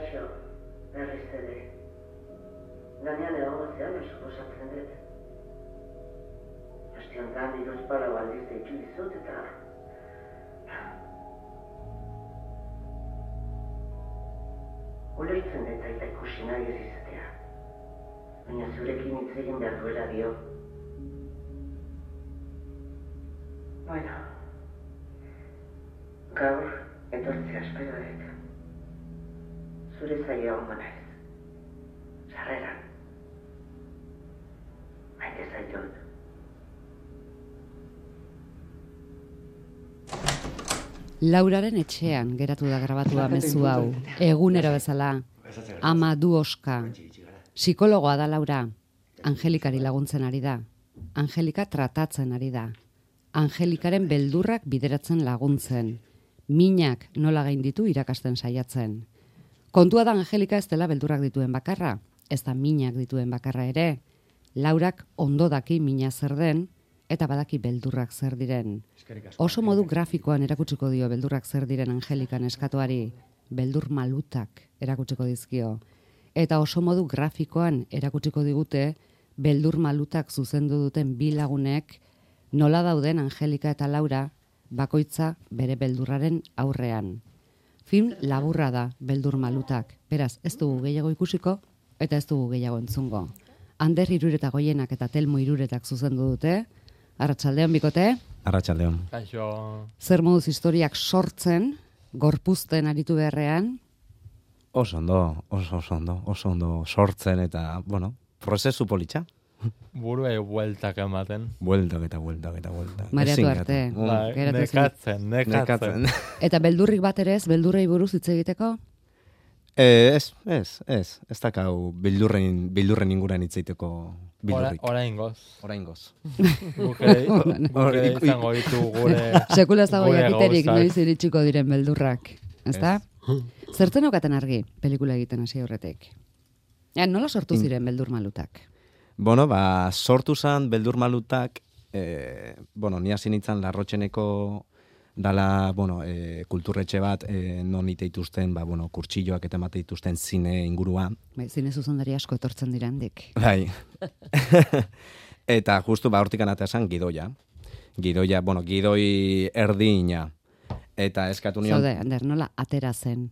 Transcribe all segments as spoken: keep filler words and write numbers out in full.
Kaixo, berriz ere. Lanean egongo zean, suposatzen dut. Aste honetan hiruzpalau aldiz deitu dizut eta... Ulertzen dut aita ikusi nahi ez izatea. Baina zurekin hitz egin behar duela dio. Bueno, gaur etortzea espero dut. Zure zaila hongo naiz. Sarreran. Maite zaitut. Lauraren etxean geratu da grabatua mezu hau, egunero bezala. Ama du oska. Psikologoa da Laura. Angelikari laguntzen ari da. Angelika tratatzen ari da. Angelikaren beldurrak bideratzen laguntzen. Minak nola gainditu irakasten saiatzen. Kontua da Angelika ez dela beldurrak dituen bakarra, ez da minak dituen bakarra ere. Laurak ondo daki mina zer den, eta badaki beldurrak zer diren. Oso modu grafikoan erakutsiko dio beldurrak zer diren Angelikan eskatuari, beldur malutak erakutsiko dizkio. Eta oso modu grafikoan erakutsiko digute, beldur malutak zuzendu duten bi lagunek, nola dauden Angelika eta Laura, bakoitza bere beldurraren aurrean. Film laburra da beldur malutak, beraz ez dugu gehiago ikusiko, eta ez dugu gehiago entzungo. Ander Irureta Goienak eta Telmo Iruretak zuzendu dute. Arratsaldeon bikote. Arratsaldeon. Kaixo. Zer moduz historiak sortzen, gorpuzten aritu beharrean? Oso ondo, oso, oso ondo, oso ondo sortzen eta, bueno, prozesu politxa. Buruei bueltak ematen. Bueltak eta bueltak eta bueltak. Mareatu arte. Bai, nekatzen, nekatzen. Eta beldurrik bat ere ez, beldurrei buruz hitz egiteko? Eh, ez, ez, ez. Ez dakau bildurren, bildurren inguran hitz egiteko bildurrik. Oraingoz. Oraingoz. Gure izango ditu gure... Sekula ez dago jakiterik noiz iritsiko diren beldurrak. Ez da? Ez. Zertzen okaten argi, pelikula egiten hasi horretik? Ja, nola sortu ziren beldur malutak? Bueno, ba, sortu zan beldur malutak, eh, bueno, ni hasi nintzen Larrotxeneko dala, bueno, eh, kulturretxe bat, eh, non ite dituzten, ba, bueno, kurtsilloak eta emate dituzten zine ingurua. Bai, zine zuzendari asko etortzen dira handik. Bai. Eta justu, ba, hortik anatea zan gidoia. Gidoia, bueno, gidoi erdina. Eta eskatu nion... Zaude, Ander, nola atera zen?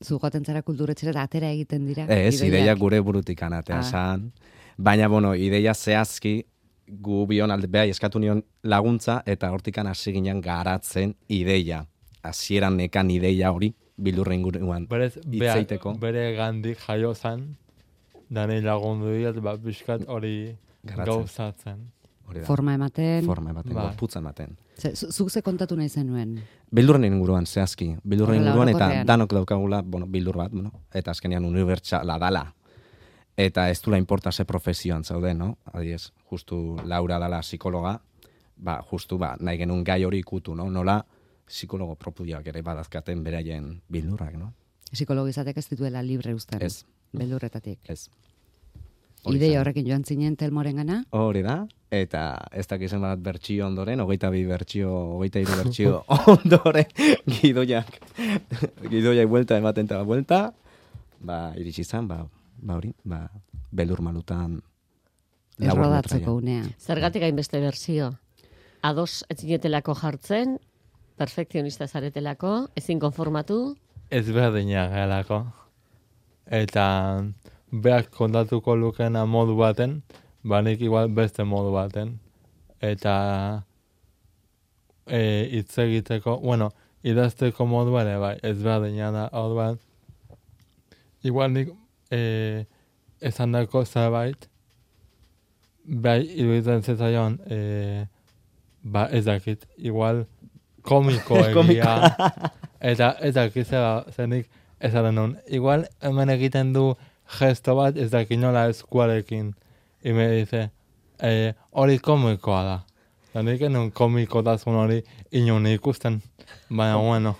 Zu joaten zara kulturretxera eta atera egiten dira? Ez, ideia gure burutik anatea ah. zan. Baina, bueno, ideia zehazki gu bion alde, behai, eskatu nion laguntza eta hortikan hasi ginen garatzen ideia. Hasieran nekan ideia hori, bildurren inguruan hitzeiteko. Bere gandik jaio zan, dani lagundu diat, bat biskat hori gauzatzen. Forma ematen. Forma ematen, ba. gorputza ematen. Zuk ze kontatu nahi zenuen? Bildurren inguruan, zehazki. Bildurren inguruan eta orokorrean. danok daukagula, bueno, bildur bat, bueno, eta azkenean unibertsala dala. Eta ez dula importa ze profesioan zaude, no? Adiez, justu Laura dala psikologa, ba, justu, ba, nahi genuen gai hori ikutu, no? Nola psikologo propioak ere badazkaten beraien bildurrak, no? Psikologizatek ez dituela libre uzten. Ez. Beldurretatik. Ez. Ideia horrekin joan zinen Telmoren gana? Hori da, eta ez dakizen bat bertsio ondoren, hogeita bi bertsio, hogeita hiru bertsio ondoren, gidoiak, gidoiak buelta ematen eta buelta, ba, iritsi zan, ba, ba hori, ba, beldur malutan errodatzeko unea. Zergatik hainbeste berzio? Ados ez zinetelako jartzen, perfekzionista zaretelako, ezin konformatu? Ez berdina galako. Eta beak kontatuko lukena modu baten, banik igual beste modu baten. Eta e, hitz egiteko, bueno, idazteko modu ere, bai, ez berdina da, hor bat. Igual nik e, esan dako zerbait, bai, iruditzen zetaion, e, ba, ez dakit, igual komiko egia, eta ez dakit zera, zenik esaten nun. Igual hemen egiten du gesto bat, ez dakit nola eskuarekin. Y me dice, eh, hori komikoa da. Zanik enun komikotasun hori inon ikusten, baina bueno.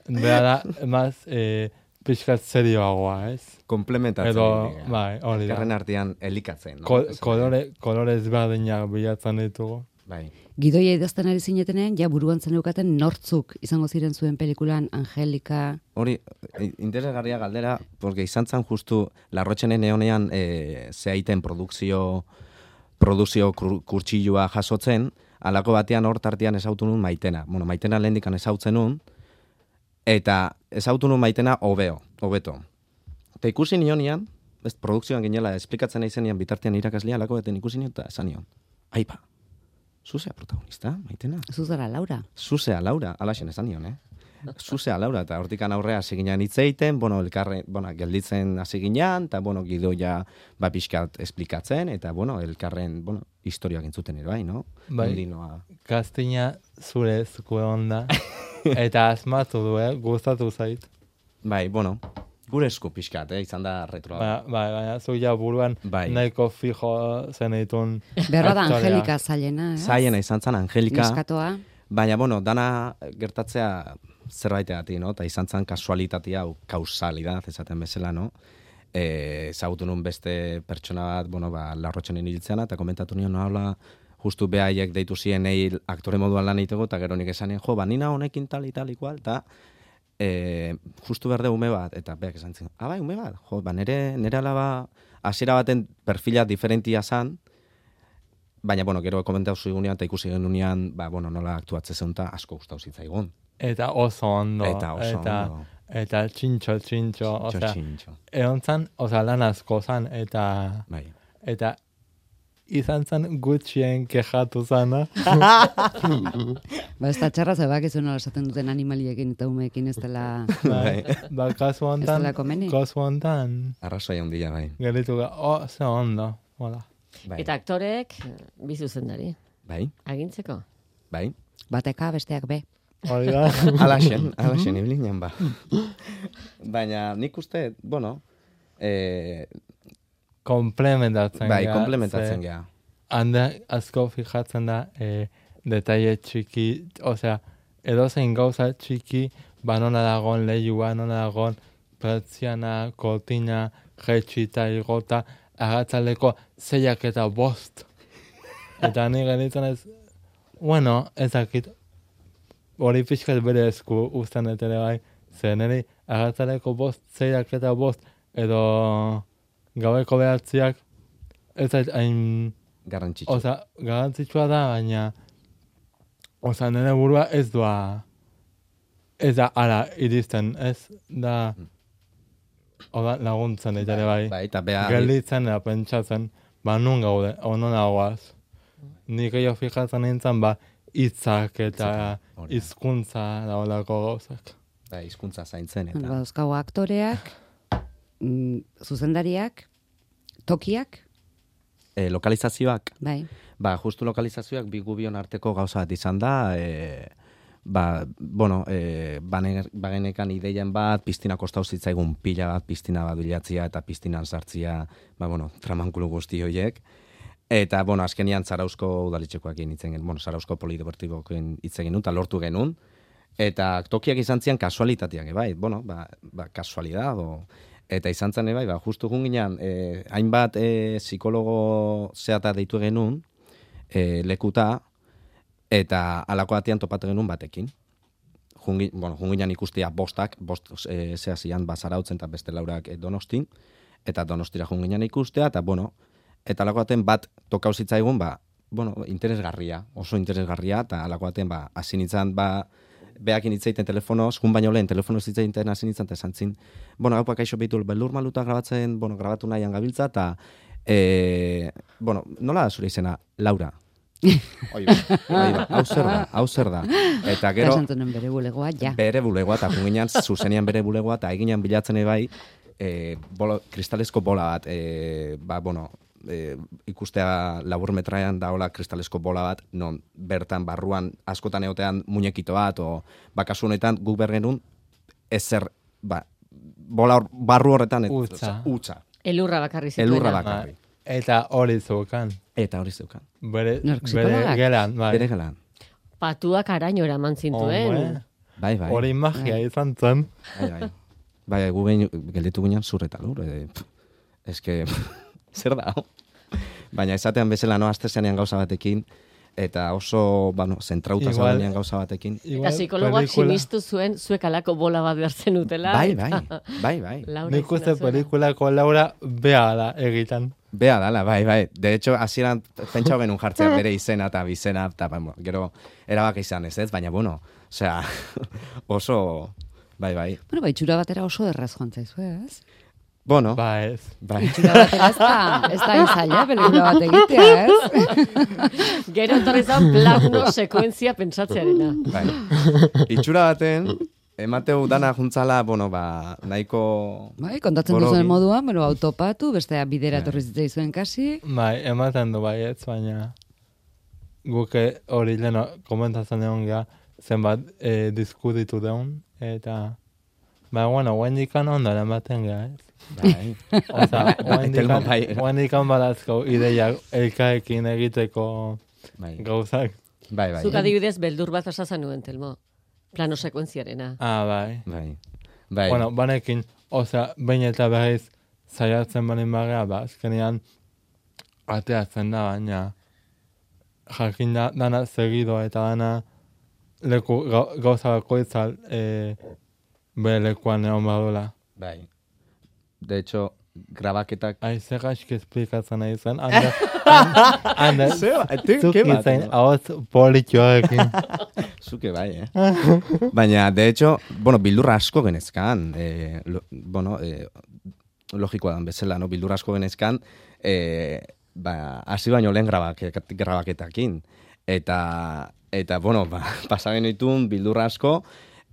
Bera da, emaz, eh, pixkat serioagoa, ez? Komplementatzen. Edo, bai, hori da. Elkarren artean elikatzen. No? Ko, kolore, kolore ezberdinak bilatzen ditugu. Bai. Gidoia idazten ari zinetenean, ja buruan zeneukaten nortzuk izango ziren zuen pelikulan, Angelika... Hori, interesgarria galdera, porque izan zen justu Larrotxenen eonean e, zeaiten produkzio, produkzio kurtsilua jasotzen, alako batean hor tartean ezautu nun Maitena. Bueno, Maitena lehendikan ezautzen nun, eta ezautu nun Maitena hobeo, hobeto. Eta ikusi nionean, ez produkzioan ginela, esplikatzen nahi zenian bitartean irakaslea alako, eta ikusi nion, eta esan nion. Aipa, zuzea protagonista, Maitena. Zuzara Laura. Zuzea Laura, alaxen esan nion, eh? Zuzea Laura, eta hortikan aurrea hasi ginean hitzeiten, bueno, elkarre, bueno, gelditzen hasi ginean, eta, bueno, gidoia ba pixkat esplikatzen, eta, bueno, elkarren, bueno, historioak entzuten ere bai, no? Bai, Ondinoa. kastina zure zukue onda, eta asmatu du, eh? Gustatu zait. Bai, bueno, gure esku pixkat, eh? Izan da retroa. Baina, bai, baina zu ja buruan Bai. nahiko fijo zenitun. Berra da aktorea. Angelika zailena, eh? Zaiena izan zen Angelika, Neskatoa. baina, bueno, dana gertatzea zerbaitegatik, no? Eta izan zen kasualitatea, hau kausalidad, esaten bezala, no? E, ezagutu nun beste pertsona bat, bueno, ba, Larrotxenen hiltzeana, eta komentatu nion, no, habla, justu behaiek deitu ziren egin aktore moduan lan egiteko, eta gero nik esanen, jo, ba, nina honekin tal, tal, igual, eta e, justu berde ume bat, eta beak esan zen, ah, bai, ume bat, jo, ba, nere, nere alaba, hasiera baten perfila diferentia zan, baina, bueno, gero komentatu zigunean, eta ikusi genunean, ba, bueno, nola aktuatze zeun, eta asko gustau zitzaigun. Eta oso ondo. Eta oso eta, ondo. Eta txintxo, txintxo. Txintxo, Osea, txintxo. egon zan, osea, lan asko zan, eta... Bai. Eta izan zan gutxien kejatu zana. Ba, ez da txarra zebak izan nola esaten duten animaliekin eta umeekin ez dela... Bai, ba, kasu Ez hontan, dela komeni. kasu hontan, Arrazoia handia, bai. gelitu ga, oh, ze ondo, hola. Bai. Eta aktorek, bi zuzendari, Bai, agintzeko. bai. Bateka besteak be. Hori da. Alaxen, alaxen, ibilinean ba. Baina nik uste, bueno, eh, Komplementatzen bai, gea, komplementatzen ze geha. Handa asko fijatzen da, eh, detaile txiki, osea, edozein gauza txiki, ba nona dagoen lehua, nona dagoen pertsiana, kortina, jetxita, igota, agatzaleko zeiak eta bost. Eta ni genitzen ez, bueno, ezakit, hori pixkat bere esku uzten dut ere bai, zer niri agatzaleko bost, zeiak eta bost, edo gaueko behatziak, ez zait hain... Garrantzitsu. Osa, garantzitsua da, baina osa, nire burua ez doa ez da ara iristen, ez da oda, laguntzen dit ere bai. Bai, eta beha... Gelditzen da pentsatzen, ba nun gaude, onon aguaz. Nik gehiago fijatzen nintzen, ba hitzak eta Hitzak, hori da. hizkuntza da olako gauzak. Da, hizkuntza zaintzen, eta... Dauzkagu aktoreak, mm, zuzendariak, tokiak, E, lokalizazioak, bai. ba, justu lokalizazioak bi gubion arteko gauza bat izan da, e, ba, bueno, e, bane, bagenekan ideien bat, piztina kostau zitzaigun pila bat, piztina bat bilatzia eta piztinan sartzia, ba, bueno, tramankulu guzti horiek. Eta, bueno, azkenian Zarauzko udaletxekoakin hitzen genuen, bueno, Zarauzko polideportibokin hitzen genuen, eta lortu genuen. Eta tokiak izan zian kasualitateak, bai, bueno, ba, ba kasualidad, o... Eta izan zen, bai, ba, justu gunginan, eh, hainbat eh, psikologo zeata deitu genuen, eh, lekuta, eta alako batean topatu genuen batekin. Jungi, bueno, junginan ikustia bostak, bost eh, zehazian bazarautzen eta beste laurak eh, Donostin, eta Donostira junginan ikustea, eta bueno, eta alako baten bat tokau zitzaigun, ba, bueno, interesgarria, oso interesgarria, eta alako baten, ba, hasi nintzen, ba, behakin hitzeiten telefonoz, jun baino lehen telefonoz hitzeiten hasi nintzen, eta esan zin, bueno, hau pakaixo behitu beldur maluta grabatzen, bueno, grabatu nahian gabiltza, eta, e, bueno, nola da zure izena? Laura. Oi, bai, hau zer da, hau zer da. Eta gero, Kasantunen bere bulegoa, ja. bere bulegoa, eta junginan zuzenean bere bulegoa, eta eginan bilatzen bai, e, bolo, kristalesko bola bat, e, ba, bueno, e, ikustea labur metraian daola kristalesko bola bat, non bertan barruan askotan egotean muñekito bat, o bakasu honetan guk bergenun ezer, ba, bola hor, barru horretan, et, Utza. utza. Elurra bakarri zituena. Elurra bakarri. Eta hori zeukan. Eta hori zeukan. Bere, Nork bere psikologak? gelan, bai. Bere gelan. Patuak araño eraman zintuen. Hombre, Bai, bai. hori magia izan zen. Bai, bai. Bai, gu gehin, gelditu ginen zur eta lur. E, eske, zer da? Baina esatean bezala, no, azte zenean gauza batekin, eta oso, bueno, zentrauta zaudenean gauza batekin. Eta psikologoak sinistu zuen zuek alako bola bat behartzen utela. Bai, bai, bai, bai. Nik uste pelikulako Laura bea da egitan. Bea dala, bai, bai. De hecho, hasieran pentsau genuen jartzea bere izena eta bizena, eta bueno, gero erabak izan ez ez, baina bueno, osea, oso, bai, bai. Bueno, bai, itxura batera oso erraz joan zaizu, ez? Bueno, ba ez. Bai. Itxura batera ez da, ez da enzaila, pelikula bat egitea, ez? Gero etorri zan plano sekuentzia pentsatzearena. Bai. Itxura baten, emateu dana juntzala, bueno, ba, nahiko... Bai, kontatzen duzuen moduan, bueno, autopatu, bestea bidera etorri zitzaizuen kasi. Bai, ematen du bai ez, baina guke hori leno komentatzen egon gea, zenbat eh, diskutitu deun, eta... Ba, bueno, guendikan ondara ematen gea, ez? Bai. Osa, guendikan badazko ideiak elkaekin egiteko bai. gauzak. Bai, bai. Zuk adibidez, beldur bat asazan nuen, Telmo. Plano sekuentziarena. Ah, bai. Bai. Bai. Bueno, banekin, osea, bain eta berriz saiatzen banin bagea, ba, azkenean ateatzen da, baina jakin da, dana segido eta dana leku gauza bakoitzal e, bere lekuan egon badula. Bai. De hecho, grabaketak... Ai, zer gaizki esplikatzen nahi zen. Anda, anda, zuk izan, hauz politxoarekin. Zuke bai, eh? Baina, de hecho, bueno, bildurra asko genezkan, eh, lo, bueno, eh, logikoa dan bezala, no? Bildurra asko genezkan, eh, ba, hasi baino lehen grabaket, grabaketakin. Eta, eta, bueno, ba, pasagen ditun bildurra asko,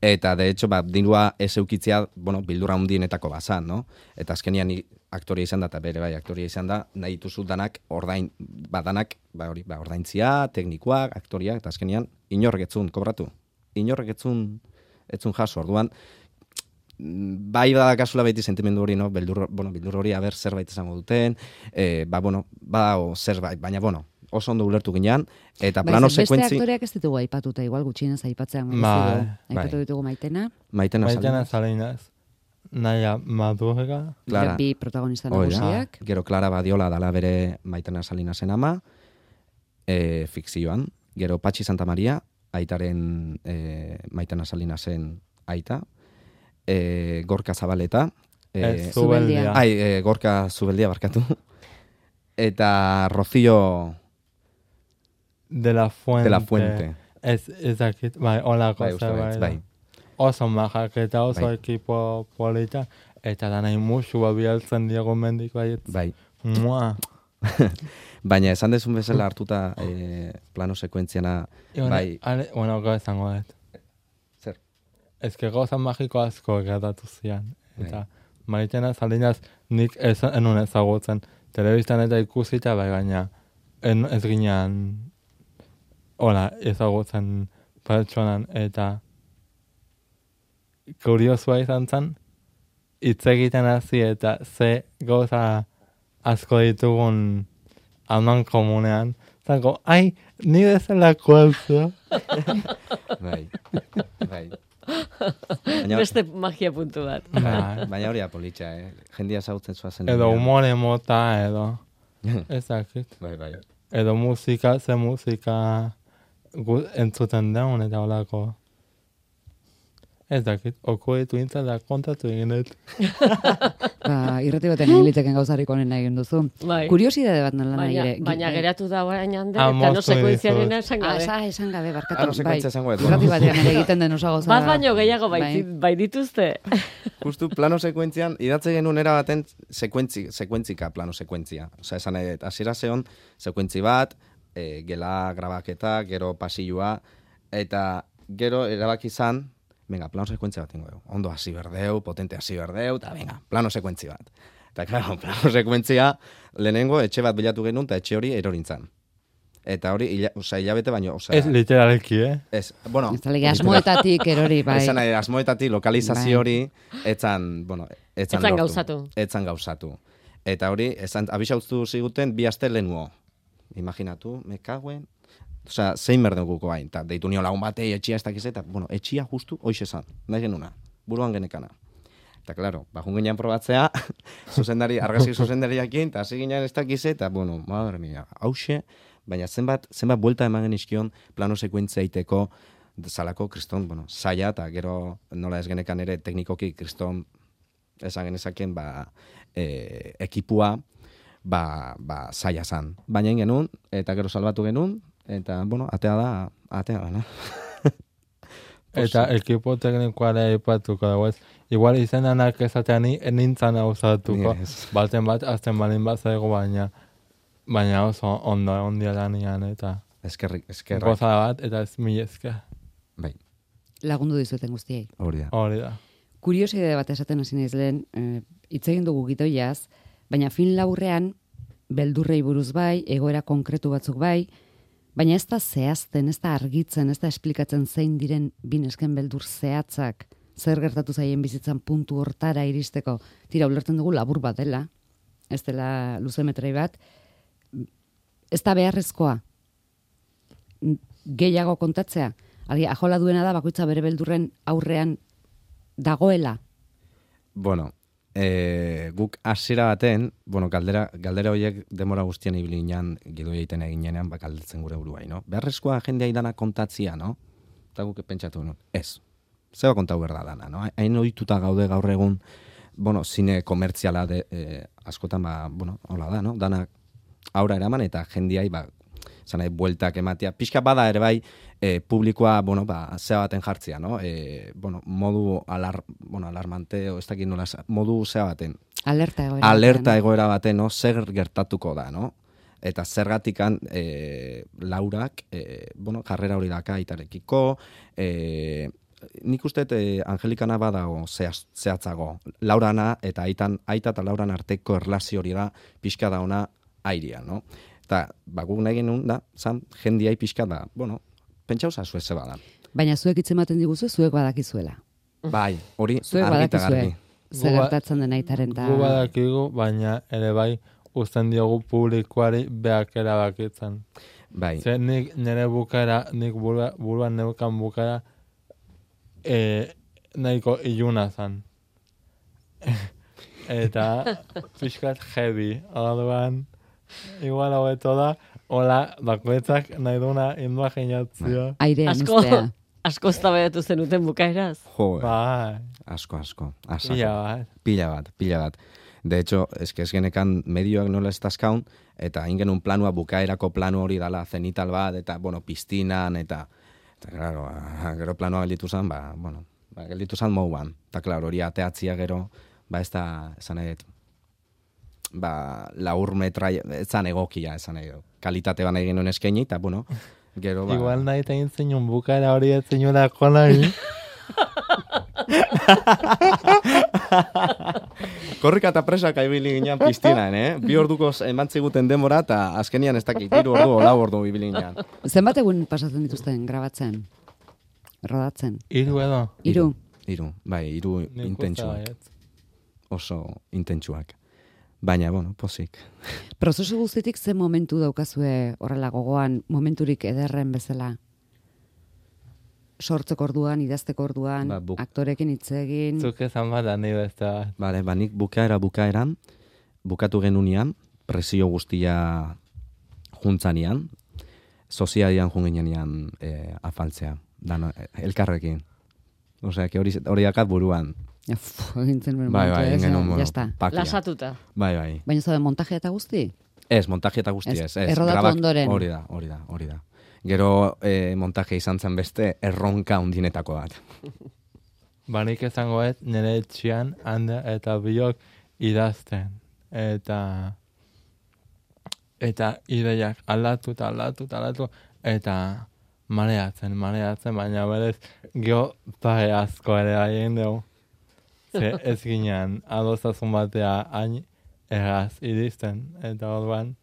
eta, de hecho, ba, dirua ez eukitzea, bueno, bildurra hundienetako bazan, no? Eta azkenian ni aktoria izan da, eta bere bai, aktoria izan da, nahi dituzu danak, ordain, badanak, ba, hori, ba, ordaintzia, teknikoak, aktoriak, eta azkenian, inorrek etzun, kobratu. Inorrek etzun, etzun jaso, orduan, bai da kasula beti sentimendu hori, no? Beldur, bueno, bildur hori, aber, zerbait izango duten, eh, ba, bueno, ba, o, zerbait, baina, bueno, oso ondo ulertu ginean, eta plano sekuentzi... Beste aktoreak ez ditugu aipatuta, igual gutxienez aipatzea. Ba, aipatu ditugu Maitena. Maitena Maitena Salinas. Naia Madurga. Clara. Bi protagonista nagusiak. Gero Clara Badiola dala bere Maitena Salinasen ama, e, fikzioan. Gero Patxi Santa Maria, aitaren e, Maitena Salinasen aita. E, Gorka Zabaleta. E, Zubeldia. Ai, e, Gorka Zubeldia barkatu. Eta Rocío... De la Fuente. De la Fuente. Ez, ezakit, bai, olako bai, zerbait. Bai. Oso majak eta oso bai. ekipo polita, eta da nahi musu bialtzen diego mendik baiet. Bai. Mua. Baina esan dezun bezala hartuta eh, plano sekuentziana, bai. Ale, bueno, gau esango dut. Zer? Ez que gauza magiko asko gertatu zian. Eta Maitena Salinas nik ez, enun ezagutzen. Telebistan eta ikusita, bai, baina en, ez ginean hola, ezagutzen pertsonan, eta kuriosua izan zen, hitz egiten hasi eta ze gauza asko ditugun alman komunean, zango, ai, ni bezalako alzu. Bai, bai. Baina, beste magia puntu bat. Bai. Baina hori apolitxa, eh? Jendia zautzen zuazen. Edo humore mota, edo. Ezakit. Bai, bai. Edo musika, ze musika entzuten daun eta holako. Ez dakit, okuetu intzat da kontatu eginet. Ba, irrati baten egiliteken gauzarik onena egin duzu. Bai. Kuriosidade bat nola nahi Baina, ere. baina geratu da orain hande, Ah, eta no moztu sekuentziarena dizut. esan Ah, gabe. esa, esan gabe, barkatu. Ah, no sekuentzia esango dut, Irrati bueno. batean ere egiten den oso gauza. Bat baino gehiago bai, Bai. bai dituzte. Justu plano sekuentzian, idatze genuen era baten sekuentzi, sekuentzika plano sekuentzia. Osa, esan nahi dut, hasiera zeon, sekuentzi bat, e, gela grabaketa, gero pasilloa, eta gero erabaki izan, venga, plano sekuentzia bat ingo dugu. Ondo hasi berdeu, potente hasi berdeu, eta venga, plano sekuentzi bat. Eta, claro, plano sekuentzia, lehenengo etxe bat bilatu genuen, eta etxe hori erorintzan. Eta hori, ila, oza, hilabete baino, oza... Ez literalki, eh? Ez, bueno... Ez talege asmoetatik erori, bai. Esan nahi, asmoetatik lokalizazio hori, etzan, bueno, etzan, Etzan lortu. gauzatu. Etzan gauzatu. Eta hori, esan, abisauztu ziguten bi aste lehenuo. Imaginatu, me kaguen... Osea, zein berdenguko bain, eta deitu nio lagun batei etxia ez dakiz, eta, bueno, etxia justu, hoiz esan, nahi genuna, buruan genekana. Eta, klaro, bajun ginean probatzea, zuzendari, argazki zuzendariakin, eta hasi ginean ez dakize, eta, bueno, madre mia, hause, baina zenbat, zenbat buelta eman genizkion plano sekuentzia iteko zalako kriston, bueno, zaila, eta gero nola ez genekan ere teknikoki kriston esan genezakien, ba, e, ekipua, ba, ba, zaila zan. Baina genuen, eta gero salbatu genuen, eta, bueno, atea da, atea da, no? Eta ekipo teknikoare aipatuko dago ez. Igual izenanak ezatean nintzen hau zatuko. Yes. Baten bat, azten balin bat zaigo, baina baina oso ondo ondia lanian eta Eskerrik, eskerrak. gozada bat, eta ez mil esker. Bai, Lagundu dizueten guztiei. hori da. Hori da. Kuriosidade bat esaten hasi naiz lehen, eh, hitz egin dugu gitoiaz, baina fin laburrean beldurrei buruz bai, egoera konkretu batzuk bai, baina ez da zehazten, ez da argitzen, ez da esplikatzen zein diren binesken beldur zehatzak, zer gertatu zaien bizitzan puntu hortara iristeko. Tira, ulertzen dugu labur bat dela, ez dela luzemetrai bat, ez da beharrezkoa gehiago kontatzea. Algi, ajola duena da bakoitza bere beldurren aurrean dagoela. Bueno, e, guk hasiera baten, bueno, galdera, galdera horiek demora guztien ibili ginen, gido egiten eginean, ba, galdetzen gure buruai, no? Beharrezkoa jendea idana kontatzia, no? Eta guk pentsatu, no? Ez. Zeba kontau berda dana, no? Hain ohituta gaude gaur egun, bueno, zine komertziala de, e, askotan, ba, bueno, hola da, no? Danak aurra eraman eta jendiai, ba, zanai, bueltak ematea. Pixka bada ere bai, e, publikoa, bueno, ba, zea baten jartzea, no? E, bueno, modu alar, bueno, alarmante, o ez dakit nola, modu zea baten. Alerta egoera. Alerta batean. egoera baten, no? Zer gertatuko da, no? Eta zergatikan e, Laurak, e, bueno, jarrera hori daka aitarekiko, e, nik uste e, Angelikana badago zehaz, zehatzago. Laurana eta aitan, aita eta Lauran arteko erlazio hori da pixka da ona airia, no? Eta, ba, guk nahi genuen da, zan, jendiai pixka da, bueno, pentsauza zuez zeba da. Baina zuek hitz ematen diguzu, zuek badakizuela. Bai, hori Zuek argi eta badakizue. garbi. Zer Gu ba- gertatzen den aitaren ta... Gu badakigu, baina ere bai uzten diogu publikoari beak erabakitzen. Bai, Ze nik nire bukaera, nik burua, buruan neukan bukaera e, nahiko iluna zan. Eta pixkat heavy, orduan igual hobeto da, hola, bakoitzak nahi duna indua jeinatzia. Airean Asko, uztea. asko eztabaidatu zenuten bukaeraz. jo, Bai, asko, asko, asko. pila bat. Pila bat, pila bat. De hecho, eske ez genekan medioak nola ez tazkaun, eta hain genuen planua, bukaerako planu hori dala zenital bat, eta, bueno, piztinan, eta, eta claro, ah, gero planua gelditu zen, ba, bueno, ba, gelditu zen mouan. Eta, claro, hori ateatzia gero, ba, ez da, esan nahi dut, ba, laur metra, ez zan egokia, esan nahi dut. Kalitate ban egin nuen eskaini, eta, bueno, gero, ba... Igual nahi tegin zinun bukaera hori ez zinurako nahi. Korrika eta presaka ibili ginen piztinan, eh? Bi orduko eman ziguten demora, eta azkenian ez dakit, hiru ordu, lau ordu ibili ginen. Zenbat egun pasatzen dituzten grabatzen? Rodatzen? Hiru edo. Hiru. Hiru, bai, hiru Nik uste intentsuak. baietz. Oso intentsuak. Baina, bueno, pozik. Prozesu guztitik ze momentu daukazue horrela gogoan, momenturik ederren bezala? Sortzeko orduan, idazteko orduan, Ba, buk- aktorekin hitz egin. Zuk esan bada ni beste bat. Bale, ba, nik bukaera bukaeran, bukatu genunean, presio guztia juntzanian, soziadian junginean e, afaltzea, dano, elkarrekin. Osea, que hori, hori dakat buruan. Ja, fu, egintzen beren Bai, momentu, bai, ez, egin genuen, ja, bueno, ya está. pakia. Lasatuta. Bai, bai. Baina zaude montaje eta guzti? Ez, montaje eta guzti Ez, ez. ez. errodatu grabak- ondoren. Hori da, hori da, hori da. Gero eh, montaje izan zen beste erronka undinetako bat. Banik esango ez, nire etxian, hande eta biok idazten. Eta eta ideiak aldatu eta aldatu eta aldatu, eta mareatzen, mareatzen, baina berez geho pare asko ere haien dugu. Ze ez ginean, adostazun batea hain erraz iristen, eta orduan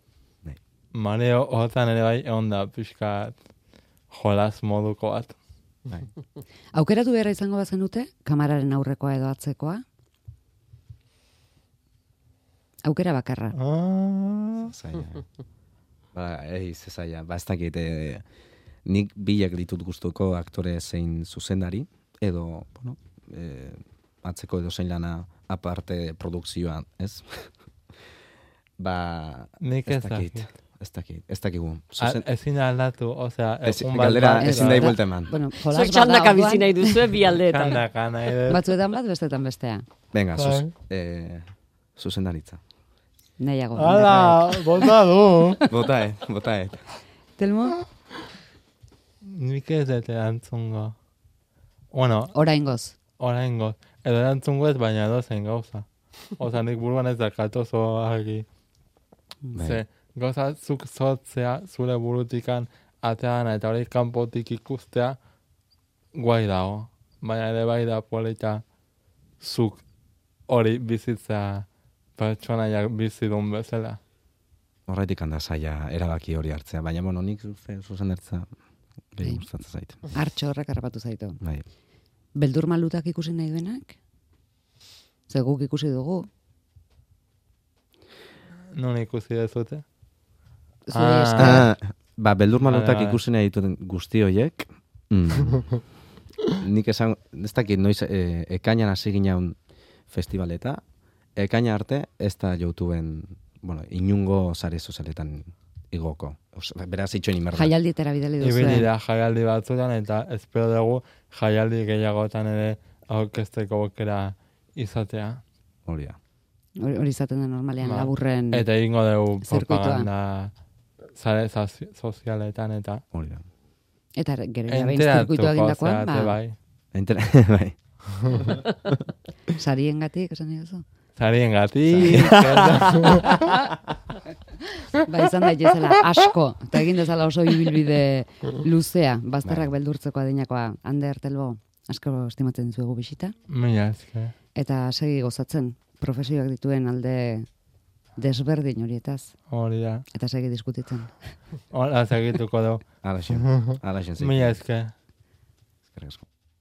Bai. mareo hortan ere bai egon da pixkat jolas moduko bat. Bai. Aukeratu beharra izango bazenute, kamararen aurrekoa edo atzekoa? Aukera bakarra. Ah, Zaila. Ba, ei, ze zaila. Ba, ez dakit, eh, nik bilak ditut gustuko aktore zein zuzendari, edo, bueno, eh, atzeko edo zein lana aparte produkzioan, ez? Ba, Nik ez ez dakit, dakit. ez dakit, ez dakigu. A- Zuzen, Ezin aldatu, osea, ez, egun bat galdera bat, ezin Ez, dahi da- buelta eman. Bueno, jolas Zuek bada txandaka orduan, bizi nahi duzue bi aldeetan. Kandaka nahi dut. batzuetan bat, bestetan bestea. Venga, zuz, Bai. eh, zuzendaritza. Nahiago. Hala, bota du. Botaet, botaet. Telmo, Nik ez dut erantzungo. Bueno, oraingoz. oraingo. Edo erantzungo ez, baina edozein gauza. Osa, nik buruan ez dakat oso argi. Bai. Ze, gauza zuk zotzea, zure burutikan atean eta hori kanpotik ikustea, guai dago. Baina ere bai da polita zuk hori bizitzea pertsonaiak bizidun bezala. Horretik handa zaila erabaki hori hartzea, baina bueno, nik zuze- zuzendaritza gehi Bai. gustatzen zait. Hartxo horrek harrapatu zaitu. Bai. Beldur malutak ikusi nahi duenak? Ze guk ikusi dugu. Non ikusi dezute? Zure Ah. esker. Ah, ba, beldur malutak Vale, vale. ikusi nahi dituten guzti horiek, mm, nik esan, ez dakit noiz e, ekainan hasi ginen festivaleta, ekaina arte ez da YouTubeen, bueno, inungo sare sozialetan igoko. Os, beraz itxoin imerda. Jaialdietara bidali duzu. Ibili da jaialdi batzutan eta espero dugu jaialdi gehiagotan ere aurkezteko aukera izatea. Hori da. Hori hori izaten da normalean Ba. laburren. Eta egingo dugu Zirkuitoa. propaganda sare sozi- sozialetan eta Hori da. Eta gero ja behin zirkuitu enteratuko egindakoan, zeate ba, bai. Inter bai. sariengatik, esan nahi duzu. Zarien gati. Ba, izan daitezela asko, eta egin dezala oso ibilbide luzea, bazterrak Bai. beldurtzeko adinakoa. Ander Telbo, asko estimatzen zuegu bisita, Mila esker. eta segi gozatzen, profesioak dituen alde desberdin horietaz, Hori da. eta segi diskutitzen. Hola, segituko dugu. Ala xen. Ala xen. Mila esker. Eskerrik asko.